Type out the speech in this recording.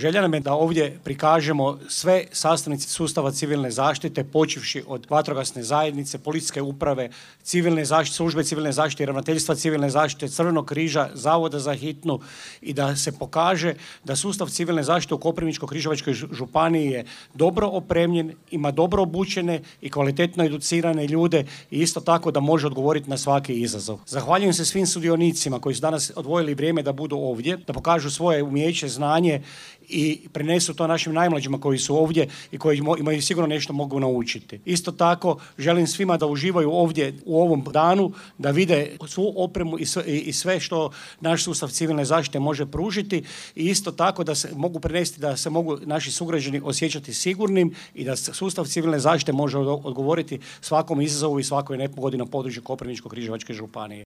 Želja nam je da ovdje prikažemo sve sastavnice sustava civilne zaštite, počevši od vatrogasne zajednice, policijske uprave, civilne zaštite, službe civilne zaštite, ravnateljstva civilne zaštite, Crvenog križa, Zavoda za hitnu i da se pokaže da sustav civilne zaštite u Koprivničko-križevačkoj županiji je dobro opremljen, ima dobro obučene i kvalitetno educirane ljude i isto tako da može odgovoriti na svaki izazov. Zahvaljujem se svim sudionicima koji su danas odvojili vrijeme da budu ovdje, da pokažu svoje umijeće, znanje i prenesu to našim najmlađima koji su ovdje i koji imaju sigurno nešto mogu naučiti. Isto tako želim svima da uživaju ovdje u ovom danu, da vide svu opremu i sve što naš sustav civilne zaštite može pružiti i isto tako da se mogu prenesti, da se mogu naši sugrađani osjećati sigurnim i da sustav civilne zaštite može odgovoriti svakom izazovu i svakoj nepogodi na području Koprivničko-križevačke županije.